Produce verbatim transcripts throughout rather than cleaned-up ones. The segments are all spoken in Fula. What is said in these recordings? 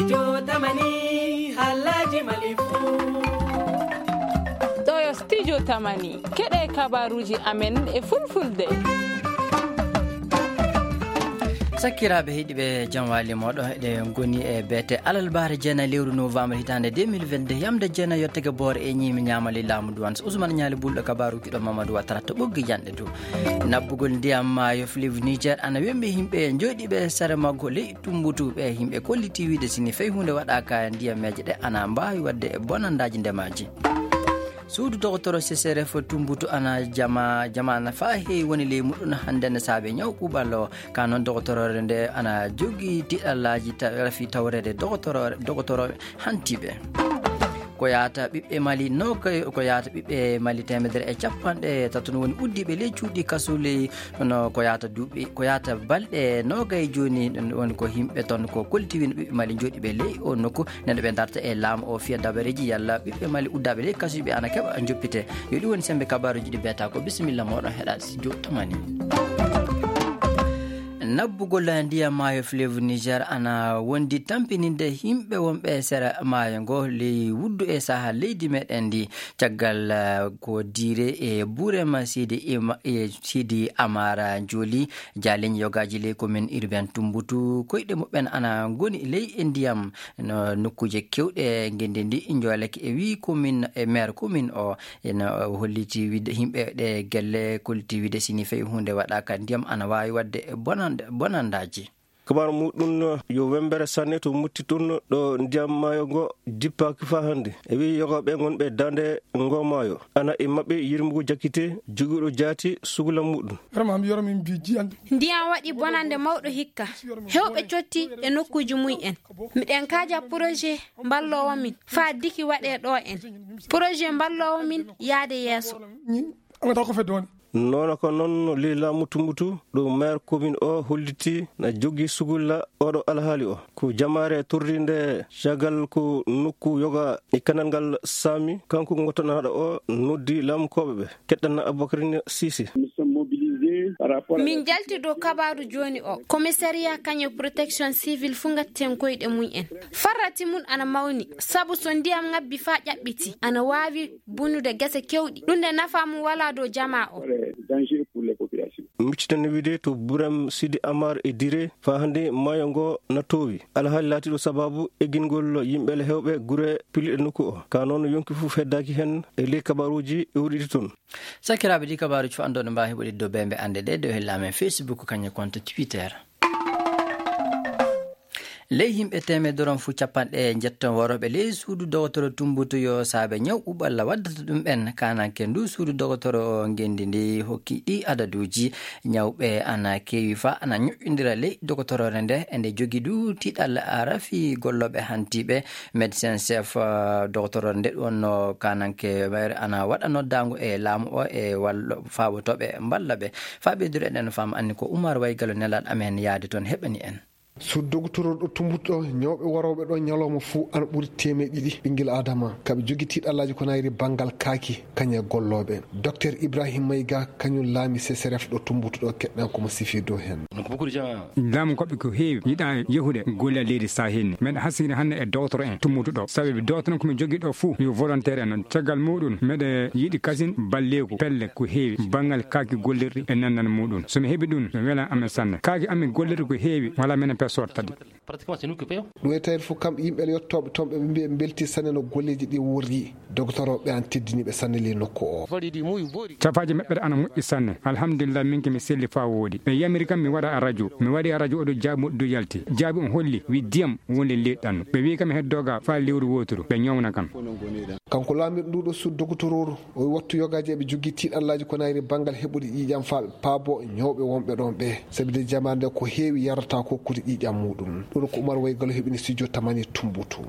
Jotamani, Alhaji Malifu. Ɗo yo Studio Tamani, keɗe kabaruji amen e fulfulde. Sakkiraaɓe heɗiiɓe, jam waali mooɗo, eɗen ngoni e beete alarbaare jeenayi lewru novembre hitaande deux mille vingt-deux, yamde jeenayi yottake boore e ñiimi ñaamali laamu duwan. So Ousmane Ñaali Bulɗo, kabaaruuji ɗo Mamadou Ouattara to ɓoggi janɗe dow. Naɓɓugol ndiyam maayo fleuve Niger ana wembi yimɓe jooɗiiɓe sere maggo ley Tumbutu. Ɓe yimɓe kolliti wiide sini fay huunde waɗaaka ndiyameeje ɗe ana mbaawi waɗde bonandaaji ndemaaji. Suudu dogotoro C C R F Tumbutu ana jama, jama ana faa heewi woni ley muɗum hannde ne saabe ñaw ɓuuɓal o. Ka noon dogotoroore nde ana jogii tiɗallaaji ta-, rafi tawreede dogotoro-, dogotoro hantiiɓe. Ko yaata ɓiɓɓe Mali noogay, ko yaata ɓiɓɓe Mali teemedere e capanɗe tato no woni uddiiɓe ley cuuɗi kasu ley, no ko yaata duuɓi, ko yaata balɗe noogay jooni, ɗum woni ko yimɓe toon ko kolliti woni ɓiɓɓe Mali jooɗiiɓe ley o nokku, nde ɓe darta e laamu o fiya dabareeji yalla ɓiɓɓe Mali uddaaɓe ley kasuuji ɓe ana keɓa joppite. Yo ɗum woni sembe kabaaruuji ɗi beeta ko. Bisimilla mooɗon heɗaade studio tamani. Naɓɓugol ndiyam maayo fleuve Niger ana wondi tampininde yimɓe wonɓe e sera maayo ngo ley wuddu e saha leydi meɗen ndi. Caggal, eh, ko Dire e Burema Sidi Ima-, e Sidi Amara Joli, jaaliñ yogaaji ley commune urbaine Tumbutu, koyɗe muɓɓen ana ngoni ley e ndiyam no nokkuuje kewɗe ngenndi ndi. Njoolake e wii commune, e maire commune o, ena holliti wiide yimɓe ɗe gelle kolliti wiide sini fay huunde waɗaaka ndiyam ana waawi waɗde bonan-, bonandaaji. Kabar muɗum yo wembere sanne to mutti tun ɗo ndiyam maayo ngo jippaaki faa hannde. E wii yogaaɓe ngonɓe daande ngo maayo, ana e maɓɓe yirmugo jakkite, jogiiɗo jaati sugla muɗum. Vraiment, mi yoro min mbi jiyande. Ndiyam waɗi bonande mawɗo hikka. Heewɓe cotti e nokkuuji mum en. Miɗen kaaja projet mballoowo min faa diki waɗee ɗo en. Projet mballoowo min yaade yeeso. Ni, angata ko fedde woni. Noona ko noon ley laamu Tumbutu, ɗo maire commune o holliti na jogii sugulla oɗo alhaali o. Ko jamaare torrinde caggal ko nokku yoga e kanal ngal saami, kanko ngottanaaɗo o noddi laamu koɓe ɓe. Keɗɗana Aboubacrine Cissé. Nous sommes mobilisés par rapport à Min jalti dow kabaaru jooni o. Commissariat kañum protection civile fuu ngatten koyɗe mum en. Farrati mum ana mawni, sabu so ndiyam ngabbi faa ƴaɓɓiti, ana waawi bunude gese kewɗi. Ɗum nde nafa mum walaa dow jamaa o. Danger pour les populations. Miccitande wiide to Buram Sidi Amar e Dire, faa hannde maayo ngo na toowi. Alhaali laatiiɗo sababu eggingol yimɓe le heewɓe gure pilliɗe nokku o. Ka noon yonki fof heddaaki heen e ley kabaruuji iwriɗi toon. Sakiraaɓe, ɗi kabaaruuji fof anndooɗo mbaawi heɓude dow bembe annde ɗe, dow hella amen Facebook, kañum konto Twitter. Ley yimɓe teemedere on fof capanɗe njetton worooɓe ley suudu dogotoro Tumbutu yo saabe ñaw ɓuuɓalla waddata ɗum ɓen. Kananke ndu suudu dogotoro ngenndi ndi hokki ɗi adaduuji ñawɓe ana keewi fa ana ñoƴƴondira ley dogotoroore nde, e nde jogi du tiiɗalla rafi gollooɓe hantiiɓe. Médecin chef, ah, dogotoroore nde ɗum wonno kananke maire ana waɗa noddaango e laamu o e wallo faabotooɓe mballa ɓe. Faa ɓeydude eɗen faama anni ko Oumar Waygalo nelaaɗo amen yaade toon heɓani en. Suudu dogotoro ɗo Tumbutu ɗo, ñawɓe warooɓe ɗo ñalawma fuu ana ɓuri teemeɗe ɗiɗi ɓinngel Aadama. Kaɓe jogii tiiɗallaaji ko nayri banngal kaaki, kañum e gollooɓe. Docteur Ibrahim Mayga, kañum laami C C R F ɗo Tumbutu ɗo, keɗɗen ko mo sifi dow heen. Laamu koɓe ko heewi yiɗa yahude golle leydi Sahel ni. Meɗa hasiri hannde e dogotoro en Tumbutu ɗo. Sabi dogotoro ko mi jogii ɗo fuu, yo volontaire en. Caggal muɗum, meɗa yiɗi kasin balleeku, pelle ko heewi, banngal kaaki gollirɗi e nannal muɗum. So mi heɓi ɗum, mi wela amen sanne. Kaaki amen gollirɗi ko heewi, wala menen pessoor tati. Pratiquement, c'est nous qui payons. Ɗum e tawde fof, kamɓe yimɓe yettooɓe toon, ɓe mbi ɓe mbelti sanne no golleeji ɗi worri. Dogotoro ɓe an teddini ɓe sanne ley nokku o. Cafaaji maɓɓe ana moƴƴi sanne. Alhamdulillah, min ke mi selli faa wooɗi. Ɓe yamiri kam mi waɗa radio. Mi waɗi radio, oɗo jaabi, moƴƴi du yalti. Jaabi on holli, wi diyam woni ley ɗannu. Ɓe wi kam heddo ga faa lewru wooturu. Ɓe ñawna kam. Kanko laamirɗo ndu ɗo suudu dogotororu, o wattu yogaaji eɓe jogii tiiɗallaaji ko nayri banngal heɓude ƴiiƴam faa ɓe paabo ñawɓe wonɓe ɗoon ɓe. Sabi nde jamaare nde ko heewi yarata ko kuri ƴiiƴam muɗum. Ɗum ko Oumar Waygalo heɓini studio Tamani Tumbutu.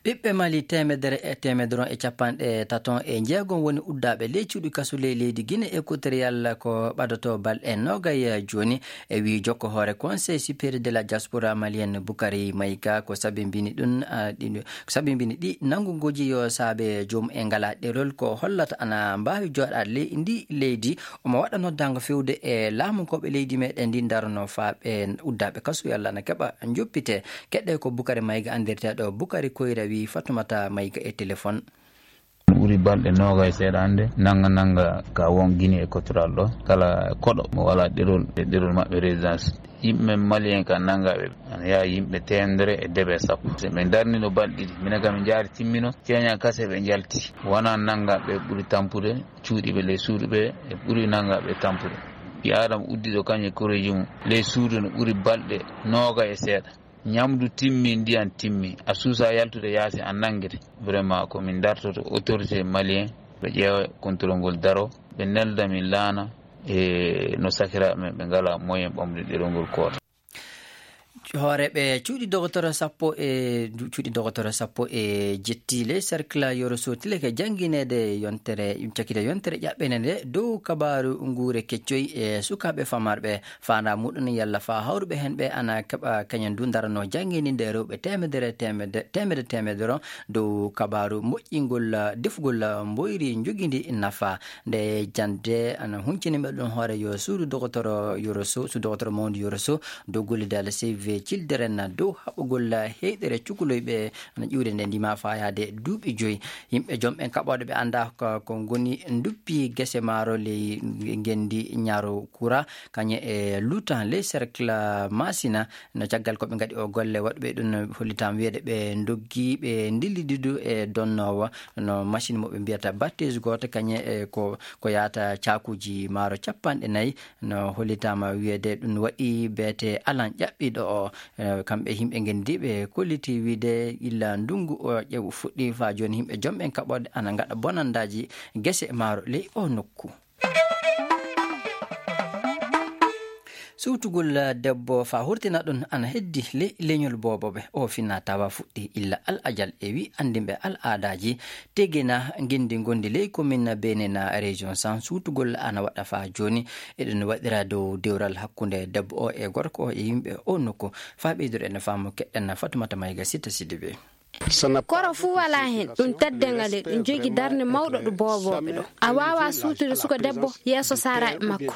Ɓiɓɓe Mali teemedere e teemedere e capanɗe taton e jeegom woni uddaaɓe ley cuuɗi kasu ley leydi Guinée Équatoriale ko ɓadotoo balɗe noogay jooni. E wii jokko hoore Conseil Supérieur de la Diaspora Malienne Boukari Maïga ko sabimbini ɗum, ah, ɗi, ko sabimbini ɗi nannguguuji yo saabe Joom e ngalaa ɗerol ko hollata ana mbaawi jooɗaade ley ndi leydi. Omo waɗa noddaango fewde e laamunkooɓe leydi meɗen ndi, ndarono faa ɓe uddaaɓe kasu yalla ana keɓa njoppite. Keɗɗe ko Bukari Mayga anndirteeɗo Bukari Koyra, wi Fatumata Mayga e telefon. Ɓuri balɗe noogay seeɗa hannde, nannga nannga ka won Gine e Kotoral ɗo. Kala koɗo mo wala ɗerol, e ɗerol maɓɓe résidence. Yimɓe men Malien ka nanngaɓe, ana yaha yimɓe teemedere e debe sappo. Se ɓe darnino balɗe ɗiɗi, minen kam min njaari timmino, ceeña kase ɓe njalti. Wona nanngaɓe ɓuri tampude, cuuɗiiɓe ley suudu ɓe e ɓuri nanngaɓe tampude. Ɓii Aadama uddiɗo kañum e koreeji mum, ley suudu no ɓuri balɗe noogay e seeɗa. Ñamdu timmi, ndiyan timmi, a suusa yaltude yaasi, a nanngete. Vraiment, ko min dartoto autorité malien, ɓe ƴeewa contrôle ngol daro, ɓe nelda min laana, e no sakiraaɓe men ɓe ngalaa moyen ɓamde ɗerol ngol koota. Hooreeɓe cuuɗi dogotoro sappo e, cuuɗi dogotoro sappo e jetti ley cercle Yoro Sotile ke janngineede yontere, cakkite yontere ƴaɓɓene nde dow kabaaru nguure keccoy e sukaaɓe famarɓe. Faandaa muɗum yalla faa hawruɓe heen ɓe ana keɓa kañum du ndarano janngini nde rewɓe teemedere, teemede-, teemedere, teemedere dow kabaaru moƴƴingol, defugol mboyri njogiindi nafa. Nde jannde ana huncini ɓe ɗum hoore yo suudu dogotoro Yoro Sotile, suudu dogotoro mawndu Yoro Sotile, dow gollidal Save Children dow haɓugol heyɗere cukalel ɓe ana ƴuwde nde ndima faa yahde duuɓi joyi. Yimɓe joom ɓen kaɓooɗe ɓe anndaa ko, ko ngoni nduppi gese maaro ley ngenndi Ñaaro Kura, kañum e Lutan ley cercle Masina. No caggal ko ɓe ngaɗi o golle, waɗuɓe ɗum no hollitaama wiyeede ɓe ndoggi, ɓe ndillidi du e donnoowo no machine mo ɓe mbiyata batteuse gooto, kañum e ko, ko yahata caakuuji maaro capanɗe nayi. No hollitaama wiyeede ɗum waɗi beete alan ƴaɓɓiiɗo o. Eh, kamɓe yimɓe ngenndi ɓe kolliti wiide illa ndunngu o ƴeew fuɗɗi faa jooni yimɓe joom ɓen kaɓooɗe ana ngaɗa bonandaaji gese maaro ley o nokku. Suutugol debbo faa hurtina ɗum ana heddi ley leñol boobooɓe. O fina tawa fuɗɗi illa al ajal e wi anndinɓe al aadaaji Tegena ngenndi ngonndi ley commune Benena région San. Suutugol ana waɗa faa jooni. Eɗen waɗira dow dewral hakkunde debbo o e gorko o e yimɓe o nokku. Faa ɓeydude en faamu keɗɗen Fatumata Mayga Sita Sidibe. Koro fuu walaa heen, ɗum teddeengal e ɗum jogii darnde mawɗo ɗo boobooɓe ɗo. A waawaa suutude suka debbo yeeso saaraaɓe makko.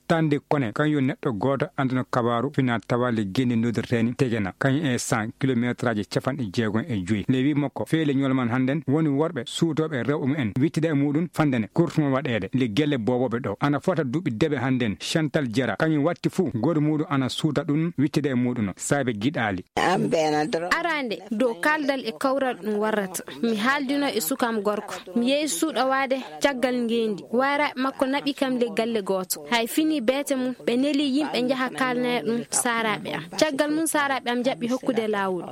Tande Kone, kañum yo neɗɗo gooto annduno kabaaru fina tawa le gende noddirteeni Tegena, kañum e cent kilometraaji capanɗe jeegom e joyi. Le wi makko, feele ñolman hannden woni worɓe suutooɓe rewɓe mumen, wittida e muɗum fandene kurtuma waɗeede le gelle boobooɓe ɗo. Ana fota duuɓi debe hannden, Chantal Jara, kañum watti fuu, gooto muɗum ana suuta ɗum, wittida e muɗum, saabe giɗaali. Arande, dow kaldal e kawral ɗum warrata. Mi haaldino e sukam gorko. Mi yehi suuɗowaade caggal ngeendi. Wayraaɓe makko naɓi kam le galle gooto. Hay fini beete mum, ɓe neli yimɓe njaha kaalnaya ɗum saaraaɓe am. Caggal mum saaraaɓe am jaɓi hokkude laawol.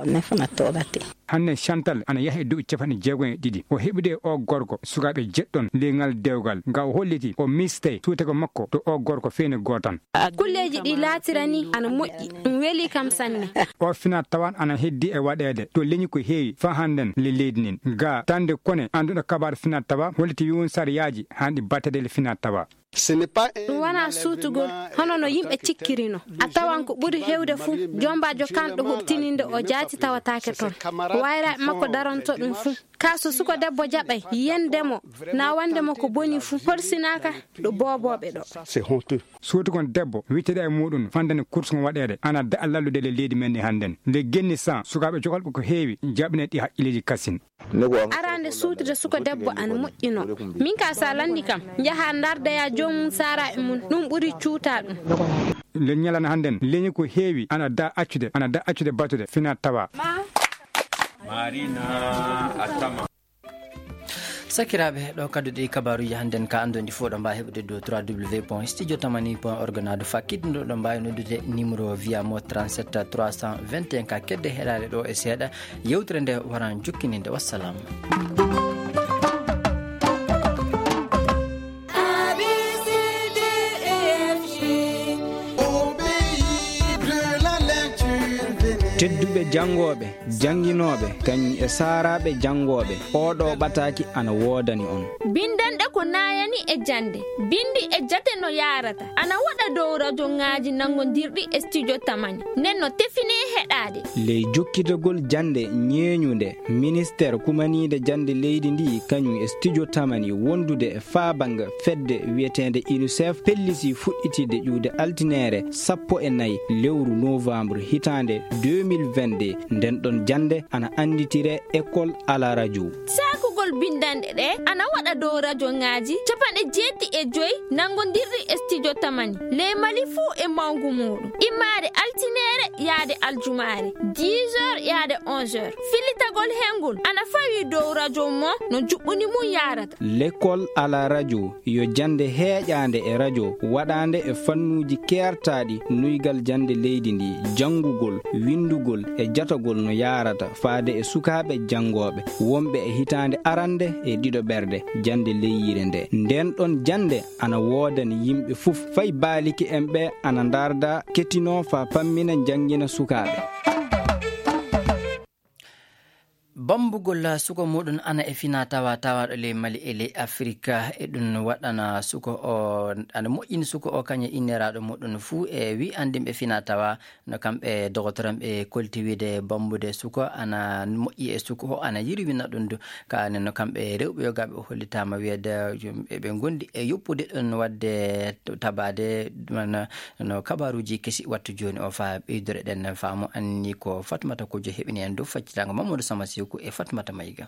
Hanne Chantal ana yaha e duuɓi capanɗe jeegom e ɗiɗi. O heɓude o gorko sukaaɓe jeɗɗon le ngal dewgal. Nga o holliti o miste suutego makko to o gorko feene gootan. Kulleeji ɗi laatirani ana moƴƴi. Ɗum weli kam sanne. O fina tawan ana heddi e waɗeede to leñi ko heewi faa hannden le leydi nin. Ga tande Kone annduɗo kabaar fina tawa holliti wiwun sariyaaji hanɗi battede le fina tawa. Ɗum wonaa suutugol hono no yimɓe cikkirino. A tawan ko ɓuri heewde fuu, joombaajo kanɗo huɓtininde o jaati tawataake toon. Wayraaɓe makko daronto ɗum fuu. Kaa so suko debbo jaɓay yende mo, na wonde mo ko boni fuu, horsinaaka ɗo boobooɓe ɗo. Suutugon debbo, wittida e muɗum, fandani kursugo waɗeede, ana da'a lallude le leydi men ndi hannden. Nde genni san, sukaaɓe jokolɓe ko heewi, jaɓine ɗi haqqilleeji kasin. Arande suutude suko debbo ana moƴƴino. Min ka sa lanndi kam, njaha ndardeya joomum saaraaɓe mum, ɗum ɓuri cuuta ɗum. Le ñalana hannden, leñi ko heewi, ana da accude, ana da accude batude, fina tawa. Marina Atama. Sakiraaɓe, ɗo kadduɗe kabaaruuji hannden ka anndon ɗi fof ɗo mbaawi heɓude dow trois W point studio tamani point org, naa dow fakkitde ɗo mbaawi noddude numéro via mo trente-sept trois cent vingt et un ka kedde heɗaade ɗo e seeɗa. Yewtere nde waran jokkininde. Wassalam. Tedduɓe janngooɓe, jannginooɓe, kañum e saaraaɓe janngooɓe, oo ɗoo ɓataaki ana woodani on. Binndanɗe ko naayani e jannde, binndi e jate no yaarata, ana waɗa dow rajoŋaaji nanngondirɗi e studio Tamani. Nden no tefinee heɗaade. Ley jokkitagol jannde ñeeñunde, ministeer kumaniinde jannde leydi ndi, kañum e studio Tamani wondude e faabanga fedde wiyeteende UNICEF, pellisii fuɗɗitiide ƴuwde altineere sappo e nayi lewru novembre hitaande deux mille vingt-deux. Nden ɗon jannde ana annditiree École à la radio. Saakugol binndanɗe ɗe ana waɗa dow rajoŋaaji capanɗe jeeɗiɗi e joy nanngondirɗi e studio Tamani, ley Mali fuu e mawngu muuɗum. Immaade altineere yaade aljumaare, dix heures yaade onze heures. Fillitagol hengol ana fawii dow rajo mo no juɓɓuni mum yaarata. L'école à la radio yo jannde heeƴaande e rajo, waɗaande e fannuuji keertaaɗi nuygal jannde leydi ndi, janngugol, winndugol e jatagol no yaarata faade e sukaaɓe janngooɓe wonɓe e hitaande arannde e ɗiɗo ɓerde jannde leyyire nde. Nden ɗon jannde ana woodani yimɓe fof, fay baaliki en ɓe ana ndaarda, kettinoo faa pammina, njanngina sukaaɓe. Bambugol suka muɗum ana e fina tawa tawaaɗo ley Mali e ley Afirka, e ɗum waɗana suka o, ana moƴƴini suka o kañum e inniraaɗo muɗum fuu e wi anndinɓe fina tawa, no kamɓe dogotoranɓe kolti wiide bambude suka ana moƴƴi e suka o, ana yirwina ɗum du. Kaane no kamɓe rewɓe yogaaɓe o hollitaama wiyeede eɓe ngondi e yoppude ɗum waɗde tabaade, mana, no kabaaruuji kesi wattu jooni o faa ɓeydore ɗen faamu. Anni ko Fatmata Kojo heɓini en dow faccitaango Mamadou Sama Seku e Fatmata Mayiga.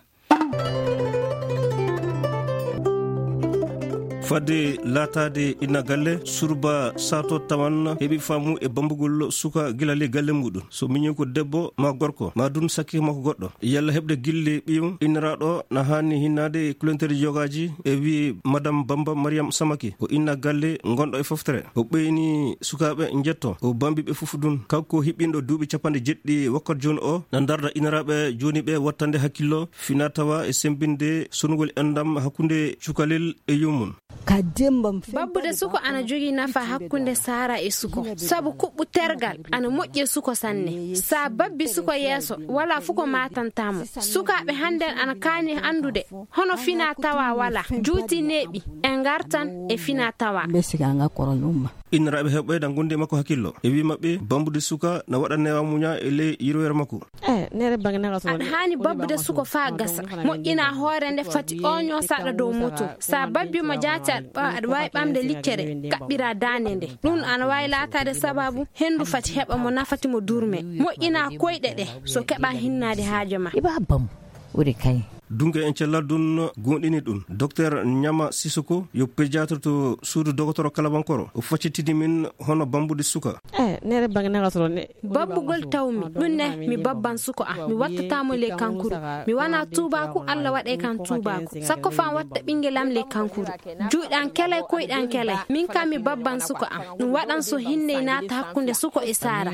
Fadde laataade inna galle, surba saato tawan heɓi faamu e bambugol suka gila ley galle muɗum. So miñi ko debbo ma gorko, ma dun sakki makko goɗɗo. Yalla heɓde gille ɓiyum, inniraaɗo na haani hinnaade e kulenteeji yogaaji e wi'i Madame Bamba Mariam Samaki, ko inna galle gonɗo e foftere. O ɓeyni sukaaɓe njetto, o bambi ɓe fof dun. Kanko hiɓɓinɗo duuɓi capanɗe jeɗɗi wakkat jooni o, na ndarda inniraaɓe jooni ɓe wattande hakkillo, fina tawa e sembinde sonugol enɗam hakkunde cukalel e yummum. Babbude suko ana jogii nafa hakkunde saara e suko, sabu kuɓɓu tergal ana moƴƴi e suko sanne. Sa babbi suko yeeso, wala fu ko maatanta mo. Sukaaɓe hannden ana kaani anndude hono fina tawa wala, juuti neeɓi e ngartan e fina tawa. Inniraaɓe heɓɓe dan gondi e makko hakkillo. E wi maɓɓe, bambude suka na waɗa newa muña e ley yirwere makko. Aɗa haani babbude suko faa gasa, moƴƴina hoore nde fati oño saɗa dow moto. Sa babbi mo jaati aɗa ɓa-, aɗa waawi ɓamde liccere, kaɓɓira daande nde. Ɗum ana waawi laataade sababu henndu fati heɓa mo nafati mo durme. Moƴƴina koyɗe ɗe, so keɓa hinnaade haajo ma. Iba bam, uri kay. Dunke en cellal dun goonɗini ɗum. Docteur Ñama Sisoko yo pédiatre to suudu dogotoro Kalabankoro. O faccitini min hono bambude suka. Babbugol tawmi, ɗum ne mi babban suko am. Mi wattata mo le kankuru. Mi wana tuubaaku, Alla waɗe kan tuubaaku. Sakko fan watta ɓingel am le kankuru. Juuɗe an kelay, koyɗe an kelay. Min kam mi babban suko am. Ɗum waɗan so hinney naata hakkunde suko e saara.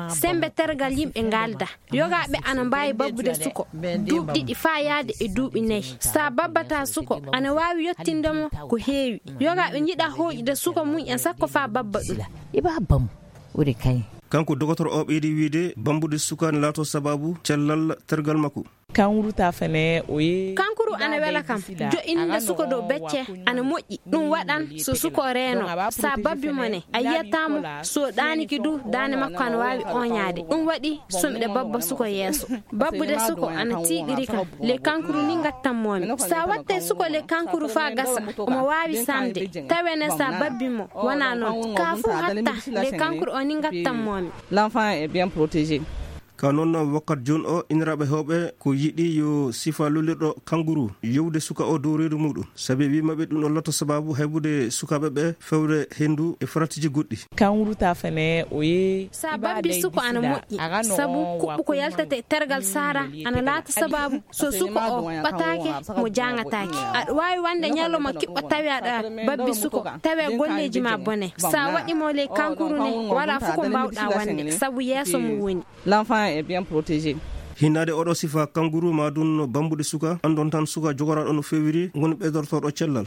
Sembe tergal yimɓe ngalda. Yogaaɓe ana mbaawi babbude suko duuɓi ɗiɗi faa yaade e duuɓi nayi. Sa babbata suko, ana waawi yottinde mo ko heewi. Yogaaɓe njiɗa hooƴude suko mum en sakko faa babba ɗum. Iba bam, uri kay. Kanko dogotoro o ɓeydi wiide, bambude suka ne laato sababu cellal tergal makko. Kankuru ana wela kam. Jo'inde suko dow becce ana moƴƴi. Ɗum waɗan so suko reeno, sa babbi mo ne, a yiyata mo. So ɗaaniki du, daande makko ana waawi oñaade. Ɗum waɗi so miɗa babba suko yeeso. Babbude suko ana tiiɗiri kam. Le kankuru ni ngattan moomi. Sa watte suko le kankuru faa gasa, omo waawi samde. Tawe ne sa babbi mo, wona noon. Ka fuu hatta, le kankuru o ni ngattan moomi. L'enfant est bien protégé. Ka noon, wakkat jooni o, inniraaɓe heewɓe ko yiɗi yo sifa lollirɗo kanguru yowde suka o dow reedu muɗum, sabi wi maɓɓe ɗum ɗo lotto sababu haybude sukaaɓe ɓe fewre henndu e faratiiji goɗɗi. Kanguru ta fene o ye. Sa babbi suko ana moƴƴi, sabu kuɓɓu ko yaltata e tergal sara ana laata sababu so suko o ɓataake mo jaŋataake. Aɗa waawi wonde ñalawma kiɓɓo tawi aɗa babbi suko, tawi golleeji ma bone. Sa waɗi mo le kankuru ne, wala fof ko mbawɗa wonde, sabu yeeso mum woni. L'enfant est bien protégé. Hinnaade oɗo sifa kanguru ma ɗum bambude suka, anndon tan suka jogoraɗo no fewiri, ngoni ɓeydortoɗo cellal.